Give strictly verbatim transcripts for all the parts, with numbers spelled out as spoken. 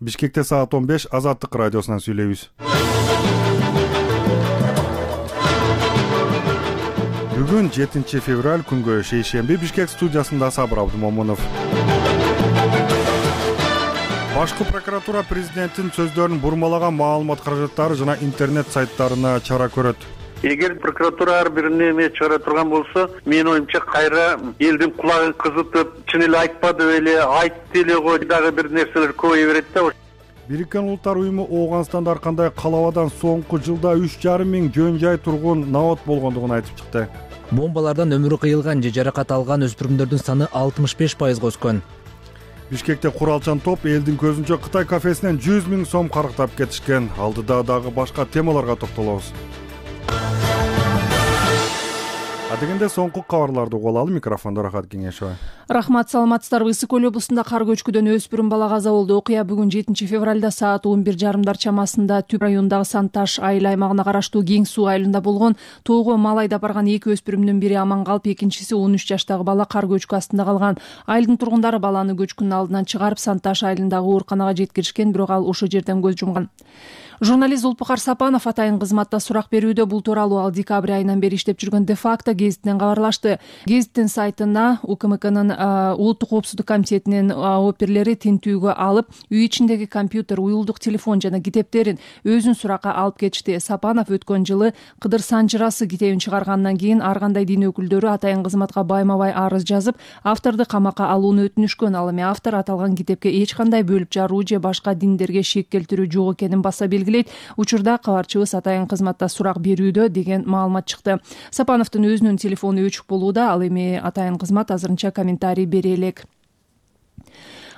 Бишкекте саат он беш Азаттык радиосунан сүйлөйбүз. Бүгүн жетинчи февраль күнгө шейшемби Бишкек студиясында Сабыр Абдумомунов. Башкы прокуратура президенттин сөздөрүн бурмалаган маалымат каражаттары жана интернет сайттарына чара көрөт. Эгер прокуратура ар бир неме чыгара турган болсо, менин оюмча кайра элдин кулагын кызытып, чын эле айтпады беле, айтты эле го дагы бир нерселер көбөйө берет да. Бириккен Улуттар уюму Ооганстанда ар кандай калабадан соңку жылда үч жарым миң жөн жай тургун набат болгондугун айтып чыкты. Бомбалардан өмүрү кыйылган же жаракат алган өспүрүмдөрдүн саны алтымыш беш пайызга өскөн. Бишкекте куралчан топ элдин көзүнчө Кытай кафесинен жүз миң сом карыктап кетишкен. Алдыда дагы башка темаларга токтолобуз. Адегенде соңку кабарларды угуп алалы. Микрофондо Рахат Кеңешова. Рахмат, саламатсыздарбы. Ысык көл облусунда кар көчкүдөн өспүрүм бала каза болду. Окуя бүгүн жетинчи февралда саат он бир жарымдар чамасында Түп районундагы Санташ айыл аймагына караштуу Кең суу айылында болгон. Тоого мал айдап барган эки өспүрүмдүн бири аман калып, экинчиси он үч жаштагы бала кар көчкү астында калган. Айылдын тургундары баланы көчкүнүн алдынан чыгарып Санташ айылындагы ооруканага жеткиришкен, бирок ал ошол жерден көз жумган. Журналист Зулпукар Сапанов атайын кызматта сурак берүүдө. Бул тууралуу ал декабрь айынан бери иштеп жүргөн Де-факто гезитинен кабарлашты. Гезиттин сайтына УКМКнын улуттук коопсуздук комитетинин оперлери тинтүүгө алып, үй ичиндеги компьютер, уюлдук телефон жана китептерин өзүн суракка алып кетишти. Сапанов өткөн жылы Кыдыр Санжырасы китебин чыгаргандан кийин ар кандай дин өкүлдөрү атайын кызматка байма-бай арыз жазып, авторду камакка алууну өтүнүшкөн. Ал эми автор аталган китепке эч кандай бөлүп жаруу же башка диндерге шек келтирүү жок экенин баса белгилейт. Учурда кабарчыбыз атайын кызматта сурак берүүдө деген маалымат чыкты. Сапановдун өзүнүн телефону өчүк болууда. Ал эми атайын кызмат азырынча комментарий бере элек.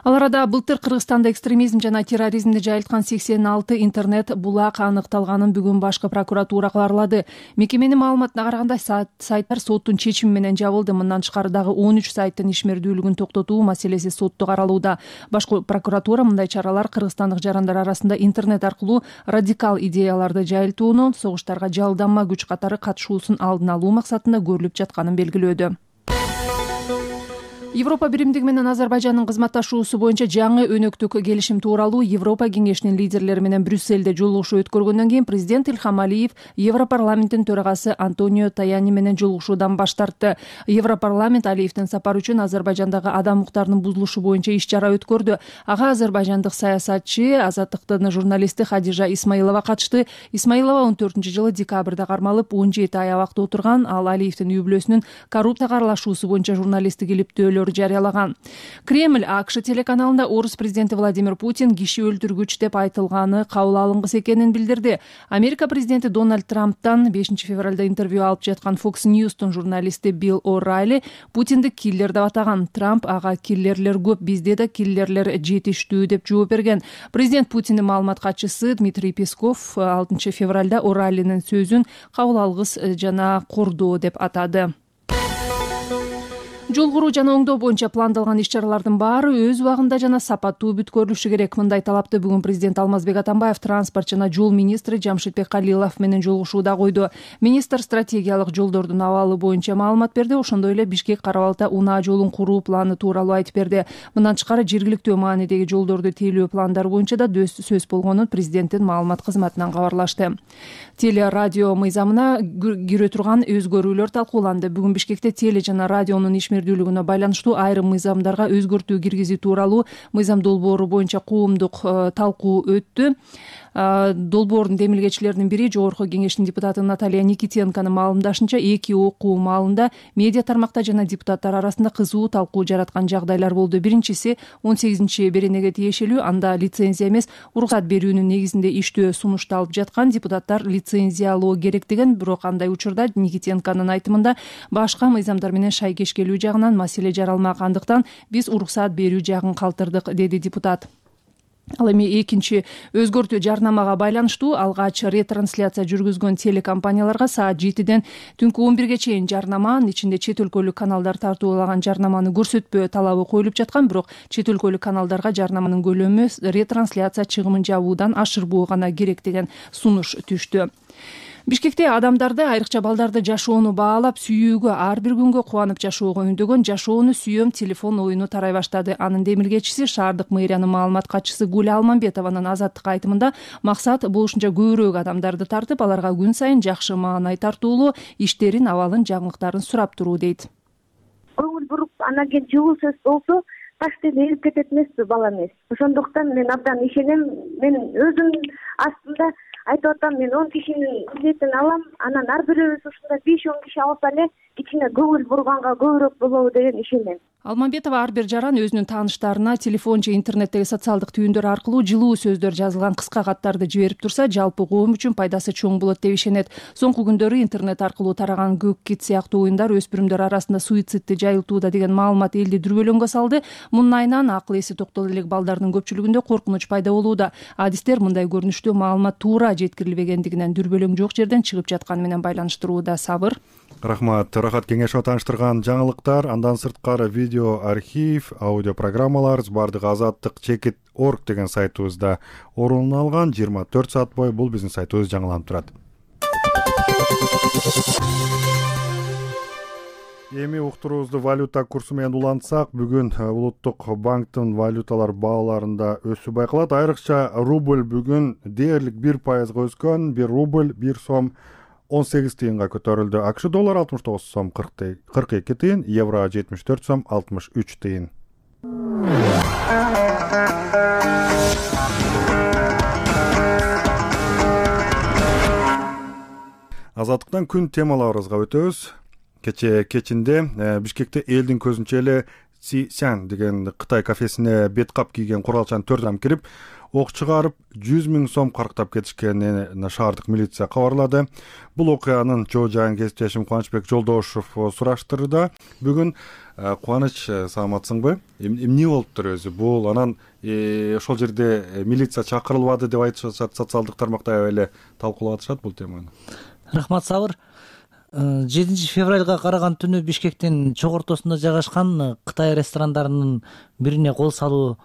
Ал арада былтыр Кыргызстанда экстремизм жана терроризмди жайылткан сексен алты интернет булак аныкталганын бүгүн башкы прокуратура кабарлады. Мекеменин маалыматына караганда сайттар соттун чечими менен жабылды. Мындан тышкары дагы он үч сайттын ишмердүүлүгүн токтотуу маселеси сотто каралууда. Башкы прокуратура мындай чаралар кыргызстандык жарандар арасында интернет аркылуу радикал идеяларды жайылтууну, согуштарга жалданма күч катары катышуусун алдын алуу максатында көрүлүп жатканын белгилөөдө. Европа биримдиги менен Азербайжандын кызматташуусу боюнча жаңы өнөктүк келишим тууралуу Европа кеңешинин лидерлери менен Брюссельде жолугушуу өткөргөндөн кийин президент Илхам Алиев Европарламенттин төрагасы Антонио Таяни менен жолугушуудан баш тартты. Европарламент Алиевдин сапары үчүн Азербайжандагы адам укуктарынын бузулушу боюнча иш чара өткөрдү. Ага азербайжандык саясатчы, Азаттыктын журналисти Хадижа Исмаилова катышты. Исмаилова он төртүнчү жылы декабрда кармалып, он жети ай абакта отурган. Ал Алиевдин үй бүлөсүнүн коррупцияга аралашуусу боюнча журналисттик илиптөөлөр жарыялаган. Кремль АКШ телеканалында орус президенти Владимир Путин киши өлтүргүч деп айтылганы кабыл алынгыс экенин билдирди. Америка президенти Дональд Трамптан бешинчи февралда интервью алып жаткан Fox News'тун журналисти Билл О'Райли Путинди киллер деп атаган. Трамп ага киллерлер көп, бизде да киллерлер жетиштүү деп жооп берген. Президент Путиндин маалымат катчысы Дмитрий Песков алтынчы февралда О'Райлинин сөзүн кабыл алгыс жана кордоо деп атады. Жол куруу жана оңдоо боюнча пландалган иш-чаралардын баары өз убагында жана сапаттуу бүткөрүлүшү керек. Мындай талапты бүгүн президент Алмазбек Атамбаев транспорт жана жол министри Жамшитбек Калилов менен жолугушууда койду. Министр стратегиялык жолдордун абалы боюнча маалымат берди. Ошондой эле Бишкек Кара-Балта унаа жолун куруу планы тууралуу айтып берди. Мындан тышкары жергиликтүү маанидеги жолдорду тейлөө пландары боюнча да сөз болгонун президенттин маалымат кызматынан кабарлашты. Теле радио мыйзамына кирө турган өзгөрүүлөр талкууланды. Бүгүн Бишкекте теле жана радионун ишмердүүлүгүнө байланыштуу айрым мыйзамдарга өзгөртүү киргизүү тууралуу мыйзам долбоору боюнча коомдук талкуу өттү. Долбоордун демилгечилеринин бири Жогорку кеңештин депутаты Наталья Никитенконун маалымдашынча, эки окуу маалында медиа тармакта жана депутаттар арасында кызуу талкуу жараткан жагдайлар болду. Биринчиси он сегизинчи беренеге тиешелүү, анда лицензия эмес, уруксат берүүнүн негизинде иштөө сунушталып жаткан. Депутаттар лицензиялоо керек деген, бирок андай учурда Никитенконун айтымында башка мыйзамдар менен шайкеш келүү жагынан маселе жаралмагандыктан биз уруксат берүү жагын калтырдык, деди депутат. Ал эми экинчи өзгөртүү жарнамага байланыштуу. Алгач ретрансляция жүргүзгөн телекомпанияларга саат жетиден түнкү он бирге чейин жарнама, анын ичинде чет өлкөлүк каналдар тартуулаган жарнаманы көрсөтпөө талабы коюлуп жаткан, бирок чет өлкөлүк каналдарга жарнаманын көлөмү ретрансляция чыгымын жабуудан ашырбоо гана керек деген сунуш түштү. Бишкекте адамдарды, айрыкча балдарды жашоону баалап, сүйүүгө, ар бир күнгө кубанып жашоого үндөгөн жашоону сүйөм телефон оюну тарай баштады. Анын демилгечиси шаардык мэриянын маалымат катчысы Гуля Алмамбетованын Азаттыкка айтымында максат бул ушунча көбүрөөк адамдарды тартып, аларга күн сайын жакшы маанай тартуулуу иштерин, абалын, жаңылыктарын сурап туруу дейт. Көңүл буруп, анан кийин жылуу сөз болсо таштен эрип кетет эмеспи бала эмес. Ошондуктан мен абдан ишенем. Мен өзүм астында айтып атам, мен он кишинин билетин алам, анан ар бирөөбүз ушундай беш он киши алса эле кичине көңүл бурганга көбүрөөк болобу деген ишенем. Алмамбетова ар бир жаран өзүнүн тааныштарына телефон же интернеттеги социалдык түйүндөр аркылуу жылуу сөздөр жазылган кыска каттарды жиберип турса, жалпы коом үчүн пайдасы чоң болот деп ишенет. Соңку күндөрү интернет аркылуу тараган көк кит сыяктуу оюндар өспүрүмдөр арасында суицидти жайылтууда деген маалымат элди дүрбөлөңгө салды. Мунун айынан акыл эси токтоло элек балдардын көпчүлүгүндө коркунуч пайда болууда. Адистер мындай көрүнүштүү маалымат туура жеткирилбегендигинен дүрбөлөң жок жерден чыгып жатканы менен байланыштырууда. Сабыр. Рахмат. Рахат Кеңешова тааныштырган жаңылыктар. Андан сырткары видео архив, аудио программалар бардыгы азаттык чекит точка орг деген сайтыбызда орун алган. жыйырма төрт саат бою бул биздин сайтыбыз жаңыланып турат. Эми уктуруубузду валюта курсу менен улантсак, бүгүн улуттук банктын валюталар бааларында өсүү байкалат. Айрыкча рубль бүгүн дээрлик бир пайызга өскөн. бир рубль бир сом он сегиз тыйынга көтөрүлдү. АКШ доллар алтымыш тогуз сом кырк эки тыйын, евро жетимиш төрт сом алтымыш үч тыйын. Азаттыктан күн темаларыбызга өтөбүз. Кече кечинде Бишкекте элдин көзүнчө эле Сисян деген Кытай кафесине бет кап кийген куралчан төрт адам кирип, ок чыгарып жүз миң сом карктап кетишкенин шаардык милиция кабарлады. Бул окуянын жоо жайын кесиптешим Кубанычбек Жолдошов сураштырды. Бүгүн Кубаныч, саламатсыңбы? Эмне болуптур өзү? Бул анан ошол жерде милиция чакырылбады деп айтышат, социалдык тармакта эле талкуулап атышат бул теманы. Рахмат, Сабыр. жетинчи февралга караган түнү Бишкектин чок ортосунда жайгашкан Кытай ресторандарынын бирине кол салуу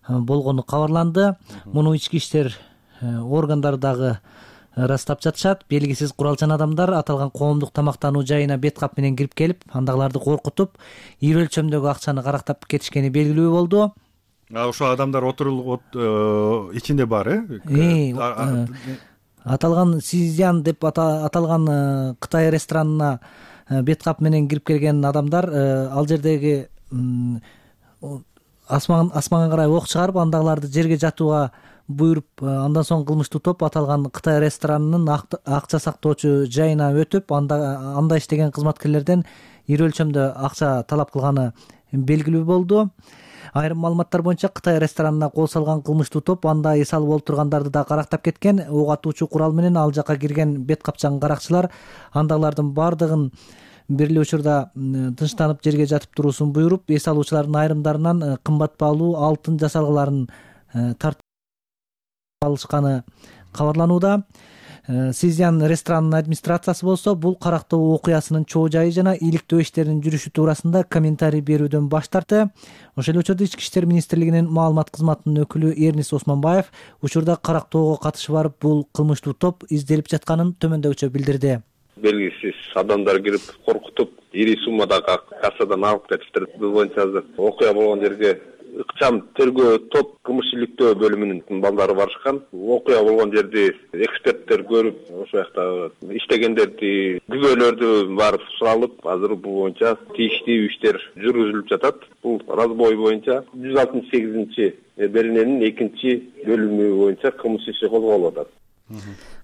болгону кабарланды. Муну ички иштер органдары дагы ырастап жатышат. Белгисиз куралчан адамдар аталган коомдук тамактануу жайына бет кап менен кирип келип, андагыларды коркутуп, ийри өлчөмдөгү акчаны карактап кетишкени белгилүү болду. Ошо адамдар отурулуп ичинде бар, э? Аталган Сизян деп аталган Кытай ресторанына бет кап менен кирип келген адамдар ал жердеги асманга карай ок чыгарып, андагыларды жерге жатууга буйруп, андан соң кылмыштуу топ аталган Кытай ресторанынын акча сактоочу жайына өтүп, анда анда иштеген кызматкерлерден ийри өлчөмдө акча талап кылганы белгилүү болду. Айрым маалыматтар боюнча Кытай ресторанына кол салган кылмыштуу топ анда эс алып олтургандарды да карактап кеткен. Ок атуучу курал менен ал жака кирген бет капчан каракчылар андагылардын бардыгын бир эле учурда тынчтанып жерге жатып туруусун буйруп, эс алуучулардын айрымдарынан кымбат баалуу алтын жасалгаларын тартып алышканы кабарланууда. Сизян ресторанынын администрациясы болсо бул карактоо окуясынын чоо жайы жана ийгиликтөө иштеринин жүрүшү туурасында комментарий берүүдөн баш тартты. Ошол эле учурда Ички иштер министрлигинин маалымат кызматынын өкүлү Эрнис Осмонбаев учурда карактоого катышы барып бул кылмыштуу топ изделип жатканын төмөндөгүчө билдирди. Белгисиз адамдар кирип коркутуп, ири суммадагы кассадан алып кетиптир. Бул боюнча азыр окуя болгон жерге ыкчам тергөө топ кылмыш иликтөө бөлүмүнүн балдары барышкан. Окуя болгон жерди эксперттер көрүп, ошол жакта иштегендерди, күбөлөрдү барып суралып, азыр бул боюнча тийиштүү иштер жүргүзүлүп жатат. Бул разбой боюнча жүз алтымыш сегизинчи берененин экинчи бөлүмү боюнча кылмыш иши козголуп атат.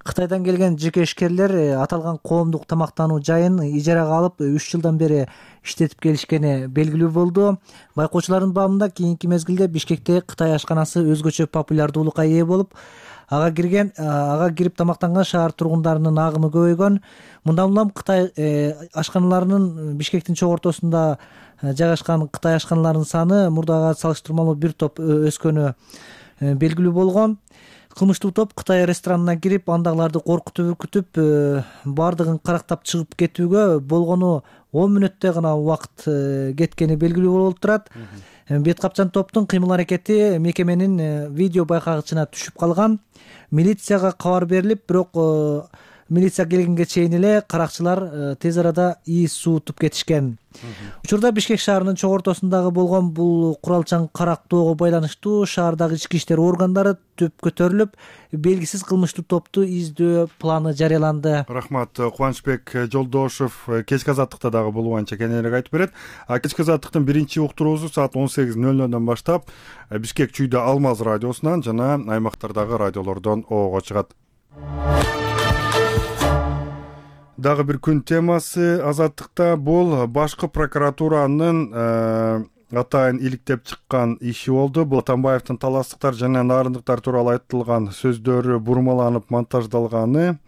Кытайдан келген жеке ишкерлер аталган коомдук тамактануу жайын ижарага алып үч жылдан бери иштетип келишкени белгилүү болду. Байкоочулардын баамында кийинки мезгилде Бишкекте Кытай ашканасы өзгөчө популярдуулукка ээ болуп, ага кирген, ага кирип тамактанган шаар тургундарынын агымы көбөйгөн. Мындан улам Кытай ашканаларынын Бишкектин чок ортосунда жайгашкан Кытай ашканаларынын саны мурдага салыштырмалуу бир топ өскөнү белгилүү болгон. Кылмыштуу топ Кытай ресторанына кирип, андагыларды коркутуп үркүтүп, бардыгын карактап чыгып кетүүгө болгону он мүнөттө гана убакыт кеткени белгилүү болуп турат. Бет капчан топтун кыймыл аракети мекеменин видео байкагычына түшүп калган. Милицияга кабар берилип, бирок милиция келгенге чейин эле каракчылар тез арада ии суутуп кетишкен. Учурда Бишкек шаарынын чоң ортосундагы болгон бул куралчан карактоого байланыштуу шаардагы ички иштер органдары төп көтөрүлүп, белгисиз кылмыштуу топту издөө планы жарыяланды. Рахмат. Кубанычбек Жолдошов кечки азаттыкта дагы бул боюнча кененирээк айтып берет. А кечки азаттыктын биринчи уктуруусу саат он сегиз ноль нолдон баштап Бишкек Чүйдө Алмаз радиосунан жана аймактардагы радиолордон оого чыгат. Дагы бир күн темасы азаттыкта бул башкы прокуратуранын атайын иликтеп чыккан иши болду. Бул Атамбаевдин таластыктар жана нарындыктар тууралуу айтылган сөздөрү бурмаланып монтаждалганы.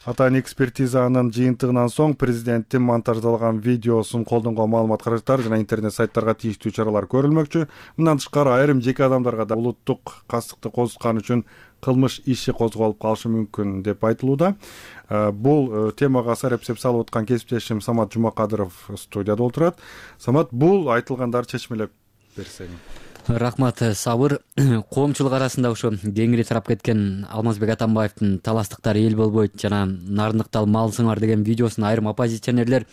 Атайын экспертизанын жыйынтыгынан соң президенттин монтаждалган видеосун колдонгон маалымат каражаттар жана интернет сайттарга тийиштүү чаралар көрүлмөкчү. Мындан тышкары айрым жеке адамдарга да улуттук кастыкты козуткан үчүн кылмыш иши козголуп калышы мүмкүн деп айтылууда. Бул темага сарепсеп салып аткан кесиптешим Самат Жумакадыров студияда отурат. Самат, бул айтылгандарды чечмелеп берсең. Рахмат, Сабыр. Коомчулук арасында ошо кеңири тарап кеткен Алмазбек Атамбаевдин таластыктар эл болбойт жана нарындыкты малсыңар деген видеосун айрым оппозиционерлер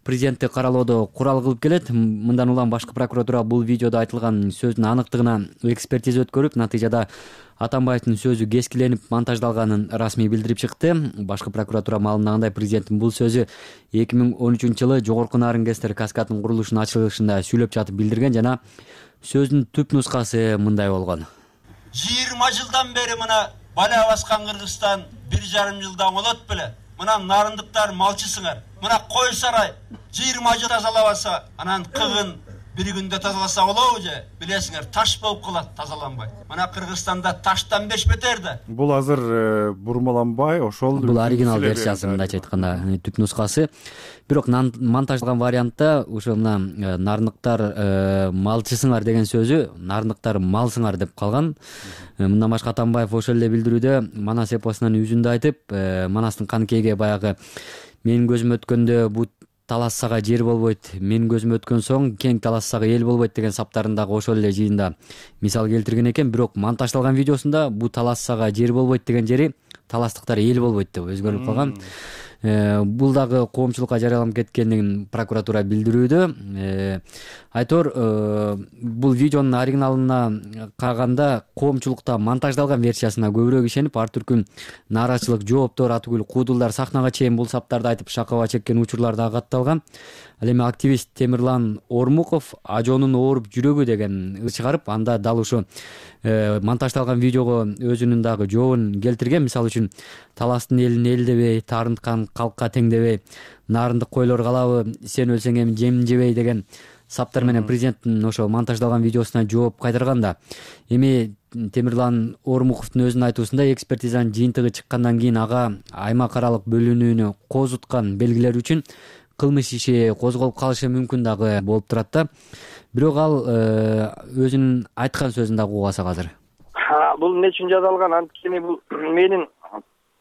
президентти каралоодо курал кылып келет. Мындан улам башкы прокуратура бул видеодо айтылган сөздүн аныктыгына экспертиза өткөрүп, натыйжада Атамбаевдин сөзү кескиленип монтаждалганын расмий билдирип чыкты. Башкы прокуратура маалымдагандай, президенттин бул сөзү эки миң он үчүнчү жылы Жогорку Нарынгестер каскадынын курулушунун ачылышында сүйлөп жатып билдирген жана сөздүн түп нускасы мындай болгон. жыйырма жылдан бери мына бала баскан Кыргызстан бир жарым жылдан болот беле. Мына нарындыктар малчысыңар. Мына кой сарай жыйырма жыл тазалабаса, анан кыгын бир күндө тазаласа болобу же? Билесиңер, таш болуп калат тазаланбай. Мына Кыргызстанда таштан беш бетер да. Бул азыр бурмаланбай, ошол бул оригинал версиясы, мындайча айтканда түп нускасы. Бирок монтаждалган вариантта ошо мына нарындыктар малчысыңар деген сөзү нарындыктар малсыңар деп калган. Мындан башка Атамбаев ошол эле билдирүүдө Манас эпосунун үзүндө айтып, Манастын канкейге баягы менин көзүм өткөндө бул талассага жер болбойт, менин көзүм өткөн соң кең талассага эл болбойт деген саптарындагы ошол эле жыйында мисал келтирген экен. Бирок монтаждалган видеосунда бул талассага жер болбойт деген жери таластыктар эл болбойт деп өзгөрүлүп калган. Бул дагы коомчулукка жарыяланып кеткендигин прокуратура билдирүүдө. Айтор, бул видеонун оригиналына караганда коомчулукта монтаждалган версиясына көбүрөөк ишенип, ар түркүн нааразычылык, жооптор, атүгүл куудулдар сахнага чейин бул саптарды айтып шакаба чеккен учурлар да катталган. Ал эми активист Темирлан Ормуков ажоонун ооруп жүрөгү деген ыр чыгарып, анда дал ушу монтаждалган видеого өзүнүн дагы жообун келтирген. Мисалы үчүн таластын элин эл дебей, тарынткан калкка тең дебей, нарындык койлор калабы, сен өлсең эми жемин жебей деген саптар менен президенттин ошо монтаждалган видеосуна жооп кайтарганда. Эми Темирлан Ормуковдун өзүнүн айтуусунда экспертизанын жыйынтыгы чыккандан кийин ага аймак аралык бөлүнүүнү козуткан белгилер үчүн кылмыш иши козголуп калышы мүмкүн дагы болуп турат да. Бирок ал өзүнүн айткан сөзүн дагы угасак азыр. Бул эмне үчүн жазалган? Анткени бул менин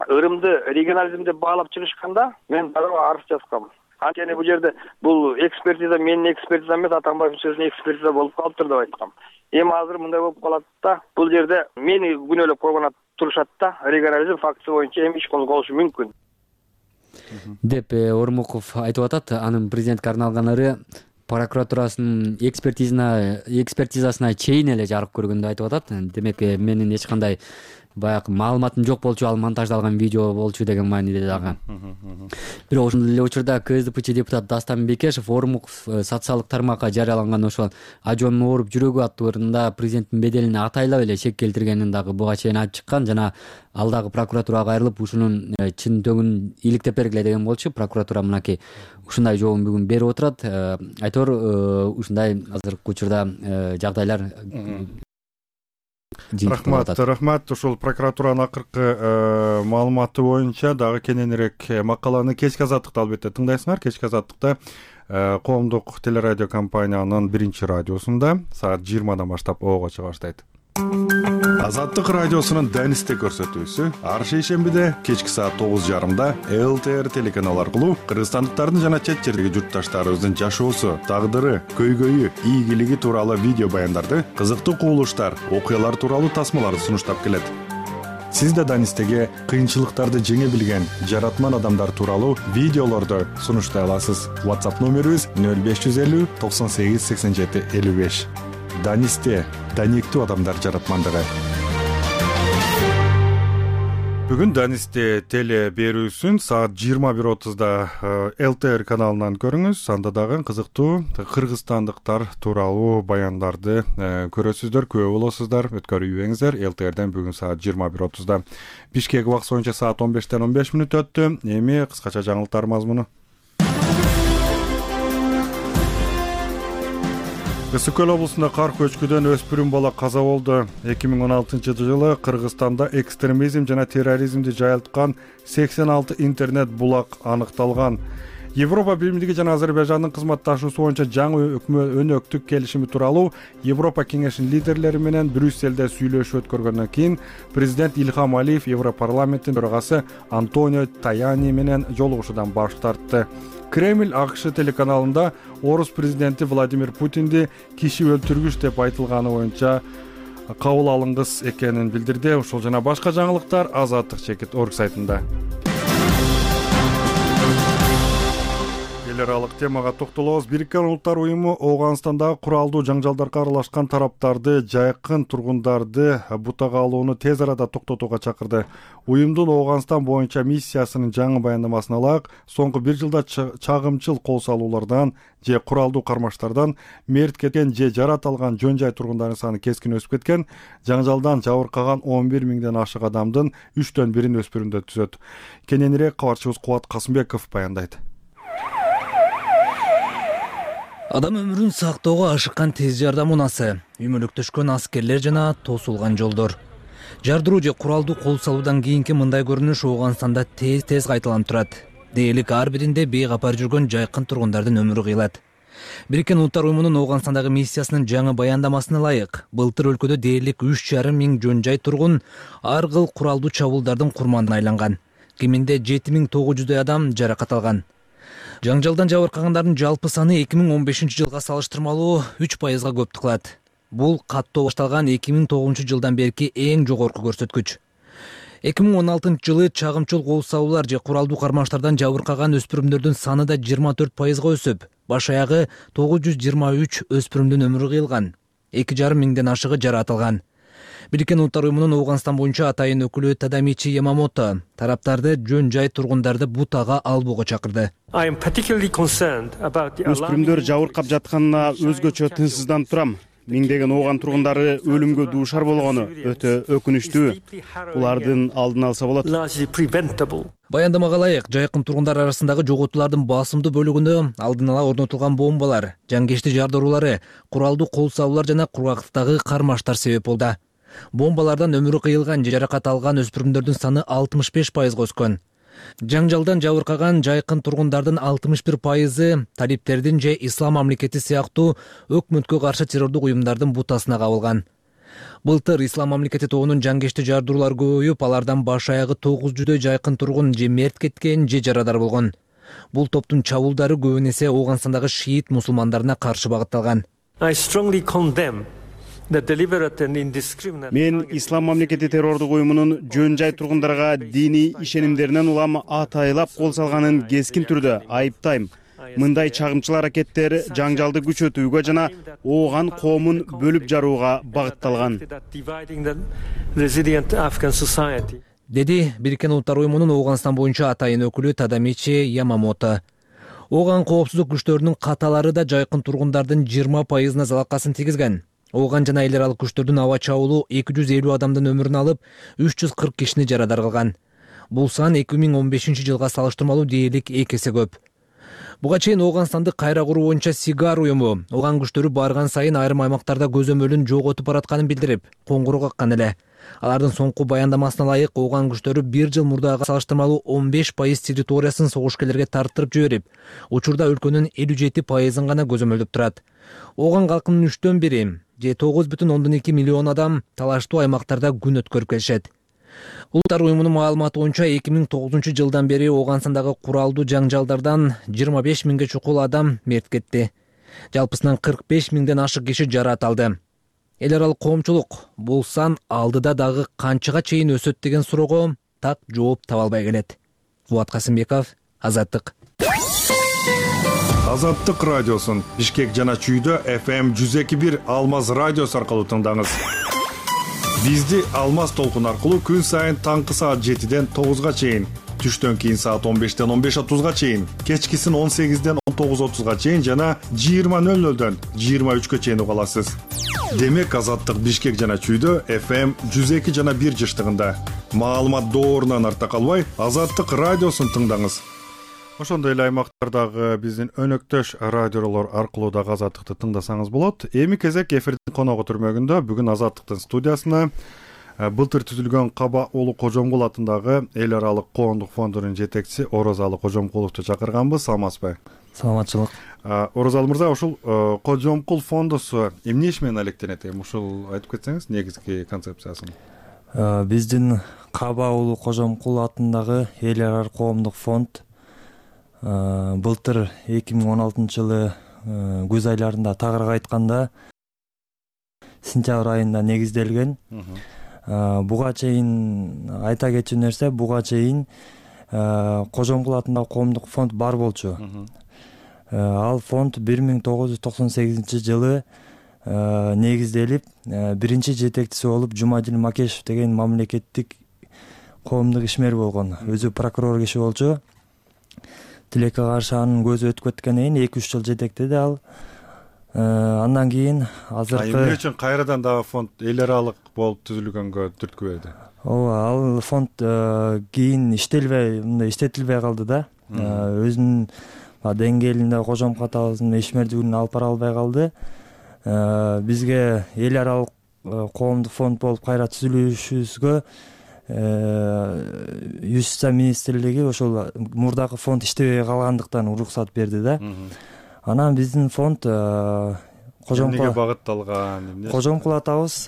ырымды регионализм деп баалап чыгышканда мен дагы арыз жазгам. Анткени бул жерде бул экспертиза менин экспертизам эмес, Атамбаевдин сөзүнүн экспертиза болуп калыптыр деп айткам. Эми азыр мындай болуп калат да, бул жерде мени күнөөлөп койгон турушат да, регионализм фактысы боюнча эми иш козголушу мүмкүн деп Ормуков айтып атат. Анын президентке арналган ыры прокуратурасынын экспертизасына экспертизасына чейин эле жарык көргөндү айтып атат. Демек менин эч кандай баягы маалыматым жок болчу, ал монтаждалган видео болчу деген мааниде дагы. Бирок ошол эле учурда КСДПчи депутат Дастан Бекешев Ормуков социалдык тармакка жарыяланган ошол ажоонун ооруп жүрөгү аттуу ырында президенттин беделине атайлап эле шек келтиргенин дагы буга чейин айтып чыккан жана ал дагы прокуратурага кайрылып ушунун чын төгүн иликтеп бергиле деген болчу. Прокуратура мынакей ушундай жообун бүгүн берип отурат. Айтор, ушундай азыркы учурда жагдайлар. Рахмат, рахмат. Ушул прокуратуранын акыркы маалыматы боюнча дагы кененирээк макаланы кечки азаттыкта албетте тыңдайсыңар. Кечки азаттыкта коомдук телерадио компаниянын биринчи радиосунда саат жыйырмадан баштап оого чыга баштайт. Азаттык радиосунун Данисте көрсөтүүсү ар шейшембиде кечки саат тогуз жарымда эл тэ эр телеканалы аркылуу кыргызстандыктардын жана чет жердеги журтташтарыбыздын жашоосу, тагдыры, көйгөйү, ийгилиги тууралуу видео баяндарды, кызыктуу кубулуштар, окуялар тууралуу тасмаларды сунуштап келет. Сиз да Данистеге кыйынчылыктарды жеңе билген жаратман адамдар тууралуу видеолорду сунуштай аласыз. WhatsApp номерибиз нөл беш жүз элүү токсон сегиз сексен жети элүү беш. Данисте даниктүү адамдар жаратмандыгы. Бүгүн Данисте теле берүүсүн саат жыйырма бир отузда эл тэ эр каналынан көрүңүз. Анда дагы кызыктуу кыргызстандыктар тууралуу баяндарды көрөсүздөр, күбө болосуздар. Өткөрүбеңиздер. эл тэ эрден бүгүн саат жыйырма бир отузда. Бишкек убакыты боюнча саат он бештен он беш мүнөт өттү. Эми кыскача жаңылыктар мазмуну. Ысык көл облусунда кар көчкүдөн өспүрүм бала каза болду. эки миң он алтынчы жылы Кыргызстанда экстремизм жана терроризмди жайылткан сексен алты интернет булак аныкталган. Европа Биримдиги жана Азербайжандын кызматташуусу боюнча жаңы өнөктүк келишими тууралуу Европа кеңешинин лидерлери менен Брюсселде сүйлөшүү өткөргөндөн кийин президент Илхам Алиев Европарламенттин төрагасы Антонио Таяни менен жолугушуудан баш тартты. Кремль АКШ телеканалында орус президенти Владимир Путинди киши өлтүргүч деп айтылганы боюнча кабыл алынгыс экенин билдирди. Ушул жана башка жаңылыктар азаттык чекит орг сайтында. Эл аралык темага токтолобуз. Бириккен Улуттар уюму Ооганстандагы куралдуу жаңжалдарга аралашкан тараптарды, жайкын тургундарды бутага алууну тез арада токтотууга чакырды. Уюмдун Ооганстан боюнча миссиясынын жаңы баяндамасына ылайык, соңку бир жылда чагымчыл кол салуулардан же куралдуу кармаштардан мерт кеткен же жарат алган жөн жай тургундардын саны кескин өсүп кеткен. Жаңжалдан жабыркаган он бир миңден ашык адамдын үчтөн бирин өспүрүмдөр түзөт. Кененирээк кабарчыбыз Кубат Касымбеков баяндайт. Адам өмүрүн сактоого ашыккан тез жардам унасы, үймөлөктөшкөн аскерлер жана тосулган жолдор. Жардыруу же куралдуу кол салуудан кийинки мындай көрүнүш Ооганстанда тез-тез кайталанып турат. Дээрлик ар биринде бейкапар жүргөн жайкын тургундардын өмүрү кыйылат. Бириккен Улуттар уюмунун Ооганстандагы миссиясынын жаңы баяндамасына ылайык, былтыр өлкөдө дээрлик үч жарым миң жөн жай тургун ар кыл куралдуу чабуулдардын курманына айланган. Кеминде жети миң тогуз жүздөй адам жаракат алган. Жаңжалдан жабыркагандардын жалпы саны эки миң он бешинчи жылга салыштырмалуу үч пайызга көптүк кылат. Бул каттоо башталган эки миң тогузунчу жылдан берки эң жогорку көрсөткүч. эки миң он алтынчы жылы чагымчыл кол салуулар же куралдуу кармаштардан жабыркаган өспүрүмдөрдүн саны да жыйырма төрт пайызга өсүп, баш аягы тогуз жүз жыйырма үч өспүрүмдүн өмүрү кыйылган, эки жарым миңден ашыгы жарат алган. Бириккен Улуттар уюмунун Ооганстан боюнча атайын өкүлү Тадамичи Ямамото тараптарды жөн жай тургундарды бутага албоого чакырды. Өспүрүмдөр жабыркап жатканына өзгөчө тынчсызданып турам. Миңдеген ооган тургундары өлүмгө дуушар болгону өтө өкүнүчтүү. Булардын алдын алса болот. Баяндамага ылайык, жайкын тургундар арасындагы жоготуулардын басымдуу бөлүгүндө алдын ала орнотулган бомбалар, жангечти жардыруулары, куралдуу кол салуулар жана кургактыктагы кармаштар себеп болду. Бомбалардан өмүрү кыйылган же жаракат алган өспүрүмдөрдүн саны алтымыш беш пайызга өскөн. Жаңжалдан жабыркаган жайкын тургундардын алтымыш бир пайызы талиптердин же Ислам мамлекети сыяктуу өкмөткө каршы террордук уюмдардын бутасына кабылган. Былтыр Ислам мамлекети тобунун жангечти жардыруулар көбөйүп, алардан баш аягы тогуз жүздөй жайкын тургун же мерт кеткен же жарадар болгон. Бул топтун чабуулдары көбүн эсе Ооганстандагы шиит мусулмандарына каршы багытталган. Мен Ислам мамлекети террордук уюмунун жөн жай тургундарга диний ишенимдеринен улам атайлап кол салганын кескин түрдө айыптайм. Мындай чагымчыл аракеттер жаңжалды күчөтүүгө жана ооган коомун бөлүп жарууга багытталган, деди Бириккен Улуттар уюмунун Ооганстан боюнча атайын өкүлү Тадамичи Ямамото. Ооган коопсуздук күчтөрүнүн каталары да жайкын тургундардын жыйырма пайызына залакасын тийгизген. Ооган жана эл аралык күчтөрдүн аба чабуулу эки жүз элүү адамдын өмүрүн алып, үч жүз кырк кишини жарадар кылган. Бул сан эки миң он бешинчи жылга салыштырмалуу дээрлик эки эсе көп. Буга чейин Ооганстанды кайра куруу боюнча Сигар уюму ооган күчтөрү барган сайын айрым аймактарда көзөмөлүн жоготуп баратканын билдирип, коңгуроо каккан эле. Алардын соңку баяндамасына ылайык, ооган күчтөрү бир жыл мурдага салыштырмалуу он беш пайыз территориясын согушкерлерге тарттырып жиберип, учурда өлкөнүн элүү жети пайызын гана көзөмөлдөп турат. Ооган калкынын үчтөн бири же тогуз бүтүн ондон эки миллион адам талаштуу аймактарда күн өткөрүп келишет. Улуттар уюмунун маалыматы боюнча эки миң тогузунчу жылдан бери Ооганстандагы куралдуу жаңжалдардан жыйырма беш миңге чукул адам мерт кетти. Жалпысынан кырк беш миңден ашык киши жарат алды. эл аралык коомчулук бул сан алдыда дагы канчага чейин өсөт деген суроого так жооп таба албай келет. Фуат Касымбеков, Азаттык. Азаттык радиосун Бишкек жана Чүйдө эф эм жүз эки бир Алмаз радиосу аркылуу тыңдаңыз. Бизди Алмаз толкун аркылуу күн сайын таңкы саат жетиден тогузга чейин, түштөн кийин саат он бештен он беш отузга чейин, кечкисин он сегизден он тогуз отузга чейин жана жыйырма нөл нөлдөн жыйырма үчкө чейин уга аласыз. Демек Азаттык Бишкек жана Чүйдө эф эм жүз эки жана бир жыштыгында. Маалымат доорунан арта калбай, Азаттык радиосун тыңдаңыз. Ошондой эле аймактардагы биздин өнөктөш радиолор аркылуу дагы Азаттыкты тыңдасаңыз болот. Эми кезек эфирдин коногу түрмөгүндө бүгүн Азаттыктын студиясына былтыр түзүлгөн Каба уулу Кожомкул атындагы эл аралык коомдук фондунун жетекчиси Орозалы Кожомкуловду чакырганбыз. Саламатсызбы? Саламатчылык. Орозалы мырза, ушул Кожомкул фондусу эмне иш менен алектенет? Эми ушул айтып кетсеңиз, негизги концепциясын. Биздин Каба уулу Кожомкул атындагы эл аралык коомдук фонд былтыр эки миң он алтынчы жылы күз айларында тагыраагы айтканда сентябрь айында негизделген. Буга чейин айта кетчү нерсе, буга чейин Кожомкул атындагы коомдук фонд бар болчу. Ал фонд бир миң тогуз жүз токсон сегизинчи жылы негизделип, биринчи жетекчиси болуп Жумадил Макешев деген мамлекеттик коомдук ишмер болгон. Өзү прокурор киши болчу. Тилекке каршы анын көзү өтүп кеткенден кийин эки үч жыл жетектеди ал. Андан кийин азыркы эмне үчүн кайрадан дагы фонд эл аралык болуп түзүлгөнгө түрткү берди? Ооба, ал фонд кийин иштелбей, мындай иштетилбей калды да. Өзүнүн деңгээлинде Кожомкул атабыздын ишмердүүлүгүн алып бара албай калды. Бизге эл аралык коомдук фонд болуп кайра түзүлүшүбүзгө Юстиция министрлиги ошол мурдагы фонд иштебей калгандыктан уруксат берди да. Анан биздин фонд Кожомкул эмнеге багытталган, эмне? Кожомкул атабыз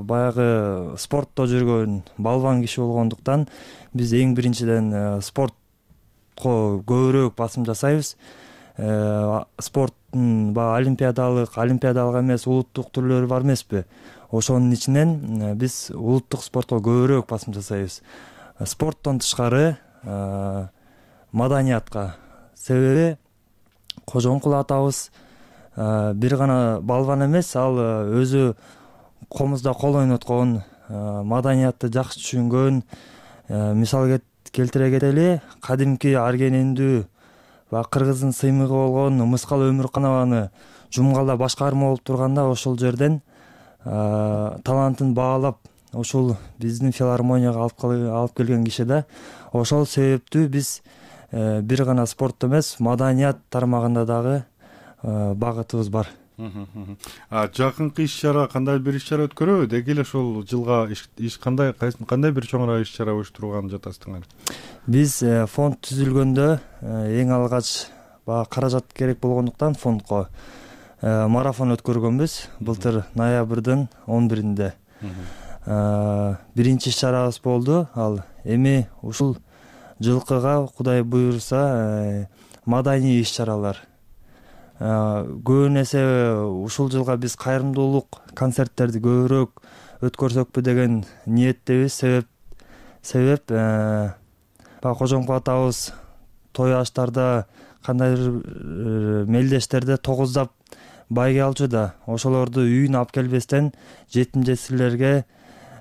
баягы спортто жүргөн балбан киши болгондуктан биз эң биринчиден спортко көбүрөөк басым жасайбыз. Спорттун баягы олимпиадалык, олимпиадалык эмес улуттук түрлөрү бар эмеспи? Ошонун ичинен биз улуттук спортко көбүрөөк басым жасайбыз. Спорттон тышкары маданиятка. Себеби Кожомкул атабыз бир гана балбан эмес, ал өзү комузда кол ойноткон, маданиятты жакшы түшүнгөн. Мисал келтире кетели, кадимки Аргенендүү ва кыргыздын сыймыгы болгон Мыскал Өмүрканованы Жумгалда башкарма болуп турганда ошол жерден талантын баалап, ошол биздин филармонияга алып келген киши да. Ошол себептүү биз бир гана спорт эмес, маданият тармагында дагы багытыбыз бар. Жакынкы иш-чара кандай бир иш-чара өткөрөбү? Деги эле ушул жылга иш кандай кандай бир чоңураак иш-чара уюштурганын жатасыңар? Биз фонд түзүлгөндө эң алгач баягы каражат керек болгондуктан фондко марафон өткөргөнбүз. Былтыр ноябрдын он биринде биринчи иш-чарабыз болду. Ал эми ушул жылкыга Кудай буйрса маданий иш-чаралар. Көбүн эсе ушул жылга биз кайрымдуулук концерттерди көбүрөөк өткөрсөкпү деген ниеттебиз. Себеп себеп Кожомкул атабыз той аштарда кандайдыр мелдештерде тогуздап байге алчу да. Ошолорду үйүнө алып келбестен жетим жесирлерге,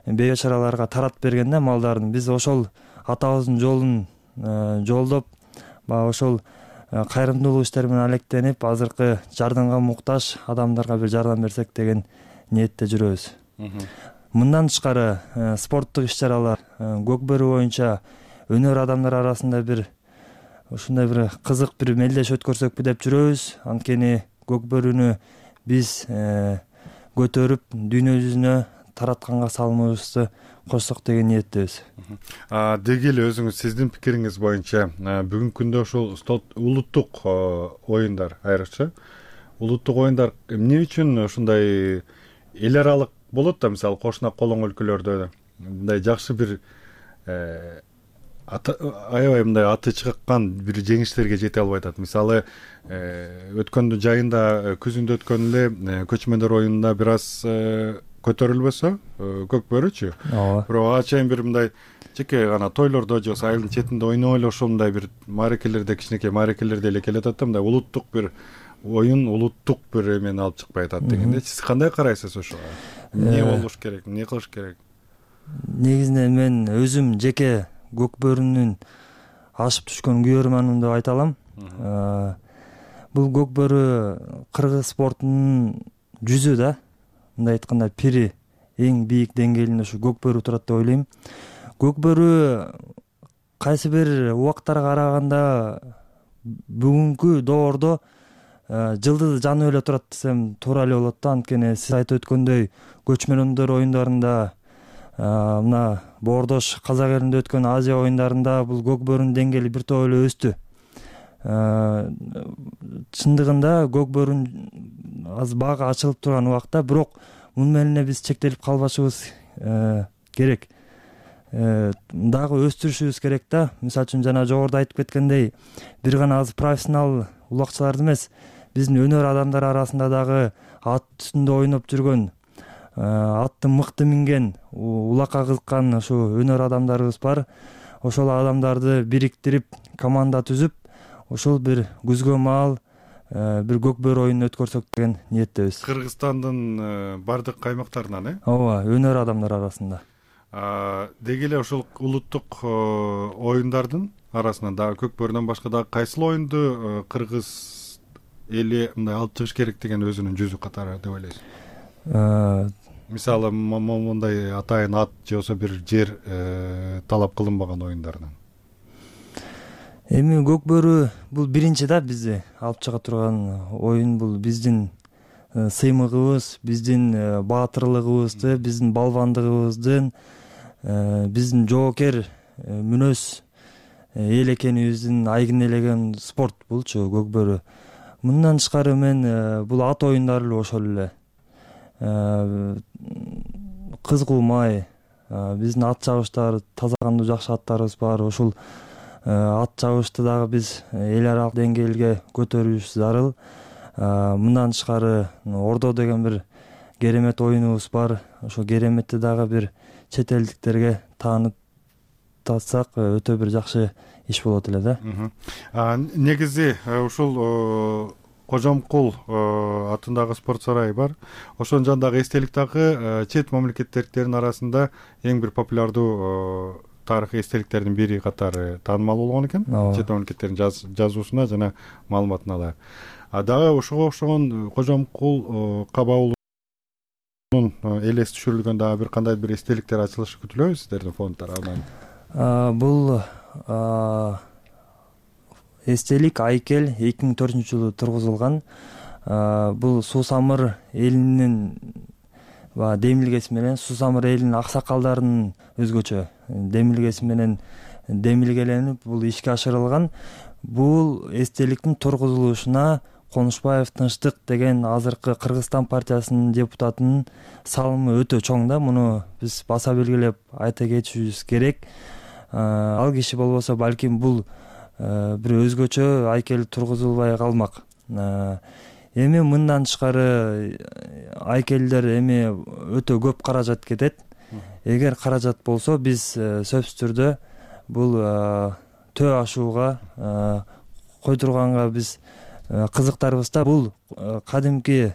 бейчараларга таратып бергенде малдарын. Биз ошол атабыздын жолун жолдоп, баягы ошол кайрымдуулук иштери менен алектенип, азыркы жардамга муктаж адамдарга бир жардам берсек деген ниетте жүрөбүз. Мындан тышкары спорттук иш-чаралар, Көкбөрү боюнча өнөр адамдар арасында бир ушундай бир кызык бир мелдеш өткөрсөкпү деп жүрөбүз. Анткени Көкбөрүнү биз көтөрүп дүйнө жүзүнө таратканга салымыбызды кошсок деген ниеттебиз. Деги эле өзүңүз сиздин пикириңиз боюнча бүгүнкү күндө ушул улуттук оюндар, айрыкча улуттук оюндар эмне үчүн ушундай эл аралык болот да, мисалы кошуна колоң өлкөлөрдө мындай жакшы бир аябай мындай аты чыккан бир жеңиштерге жете албай атат. Мисалы өткөндү жайында күзүндө өткөн эле көчмөндөр оюнунда бир аз көтөрүлбөсө көк бөрүчү, бирок ага чейин бир мындай жеке гана тойлордо же болбосо айылдын четинде ойноп эле ошол мындай бир маарекелерде кичинекей маарекелерде эле келатат да, мындай улуттук бир оюн, улуттук бир эмени алып чыкпай атат дегенде. Сиз кандай карайсыз ошого? Эмне болуш керек, эмне кылыш керек? Негизинен мен өзүм жеке көк бөрүнүн ашып түшкөн күйөрманмын деп айта алам. Бул көк бөрү кыргыз спортунун жүзү да. Мындай айтканда пири, эң бийик деңгээлинде ушу көк бөрү турат деп ойлойм. Көк бөрү кайсы бир убактарга караганда бүгүнкү доордо жылдызы жанып эле турат десем туура эле болот да. Анткени сиз айтып өткөндөй көчмөндөр оюндарында, мына боордош казак элинде өткөн Азия оюндарында бул көк бөрүнүн деңгээли бир топ эле өстү. Чындыгында көк бөрүнүн аз баага ачылып турган убакта, бирок муну менен биз чектелип калбашыбыз керек. Дагы өстүрүшүбүз керек да. Мисалы үчүн жана жогоруда айтып кеткендей, бир гана азыр профессионал улакчыларды эмес, биздин өнөр адамдары арасында дагы ат үстүндө ойноп жүргөн, атты мыкты минген, улакка кызыккан ушу өнөр адамдарыбыз бар. Ошол адамдарды бириктирип, команда түзүп, ошол бир күзгө маал бир көк бөрү оюнун өткөрсөк деген ниеттебиз. Кыргызстандын бардык аймактарынан, э? Ооба, өнөр адамдар арасында. Деги эле ошол улуттук оюндардын арасынан дагы көк бөрүнөн башка дагы кайсыл оюнду кыргыз эли мындай алып чыгыш керек деген өзүнүн жүзү катары деп ойлойсуз? Мисалы, мындай атайын ат же болбосо бир жер талап кылынбаган оюндардан. Эми көк бөрү бул биринчи да бизди алып чыга турган оюн. Бул биздин сыймыгыбыз, биздин баатырлыгыбызды, биздин балбандыгыбыздын, биздин жоокер мүнөз эл экенибиздин айгин элеген спорт булчу көк бөрү. Мындан тышкары мен бул ат оюндары эле ошол эле. Кыз кулмай, биздин ат чабыштар, таза кандуу жакшы аттарыбыз бар. Ошол ат чабышты дагы биз эл аралык деңгээлге көтөрүшүбүз зарыл. Мындан тышкары ордо деген бир керемет оюнубуз бар. Ошол кереметти дагы бир чет элдиктерге таанытсак өтө бир жакшы иш болот эле да. Негизи ушул Кожомкул атындагы спорт сарайы бар. Ошонун жанындагы эстелик дагы чет мамлекеттердин арасында эң бир популярдуу тарыхый эстеликтердин бири катары таанымал болгон экен. Чет мамлекеттердин жазуусуна жана маалыматына да. А дагы ошого окшогон Кожомкул кабаулунун элес түшүрүлгөн дагы бир кандай бир эстеликтер ачылышы күтүлөбү сиздердин фонд тарабынан? Бул эстелик айкел эки миң төртүнчү жылы тургузулган. Бул Суусамыр элинин демилгеси менен, Суусамыр элинин аксакалдарынын өзгөчө демилгеси менен демилгеленип бул ишке ашырылган. Бул эстеликтин тургузулушуна Конушбаев Тынчтык деген азыркы Кыргызстан партиясынын депутатынын салымы өтө чоң да. Муну биз баса белгилеп айта кетишибиз керек. Ал киши болбосо балким бул бир өзгөчө айкел тургузулбай калмак. Эми мындан тышкары айкелдер эми өтө көп каражат кетет. Эгер каражат болсо биз сөзсүз түрдө бул төө ашууга койдурганга биз кызыктарбыз да. Бул кадимки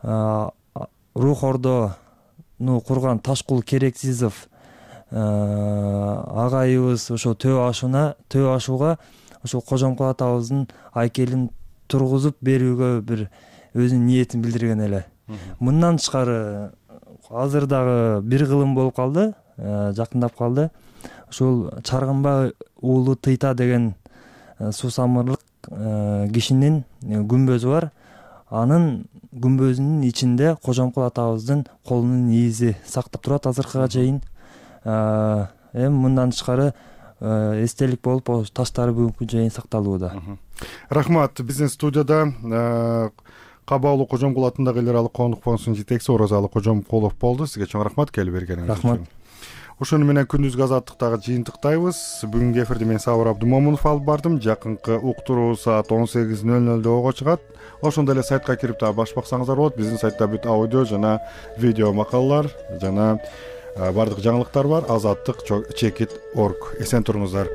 рух ордону курган Ташкул Керексизов агайыбыз ошо төө ашууна төө ашууга ошо Кожомкул атабыздын айкелин тургузуп берүүгө бир өзүнүн ниетин билдирген эле. Мындан тышкары азыр дагы бир кылым болуп калды, жакындап калды. Ушул Чаргынбай уулу Тыйта деген суусамырлык кишинин күмбөзү бар. Анын күмбөзүнүн ичинде Кожомкул атабыздын колунун иизи сактап турат азыркыга чейин. Эми мындан тышкары эстелик болуп таштары бүгүнкү чейин сакталууда. Рахмат. Биздин студияда Кабаулуу Кожомкул атындагы эл аралык коомдук фондунун жетекчиси Оразалы Кожомкулов болду. Сизге чоң рахмат келип бергениңиз үчүн. Рахмат. ошону менен күндүзгү азаттыктагы жыйынтыктайбыз. Бүгүнкү эфирди мен Сабыр Абдумомунов алып бардым. Жакынкы уктуруу саат он сегиз нөл нөлдө ого чыгат. Ошондой эле сайтка кирип дагы баш баксаңыздар болот. Биздин сайтта бүт аудио жана видео макалалар жана бардык жаңылыктар бар. азаттык чекит точка орг. Эсен туруңуздар.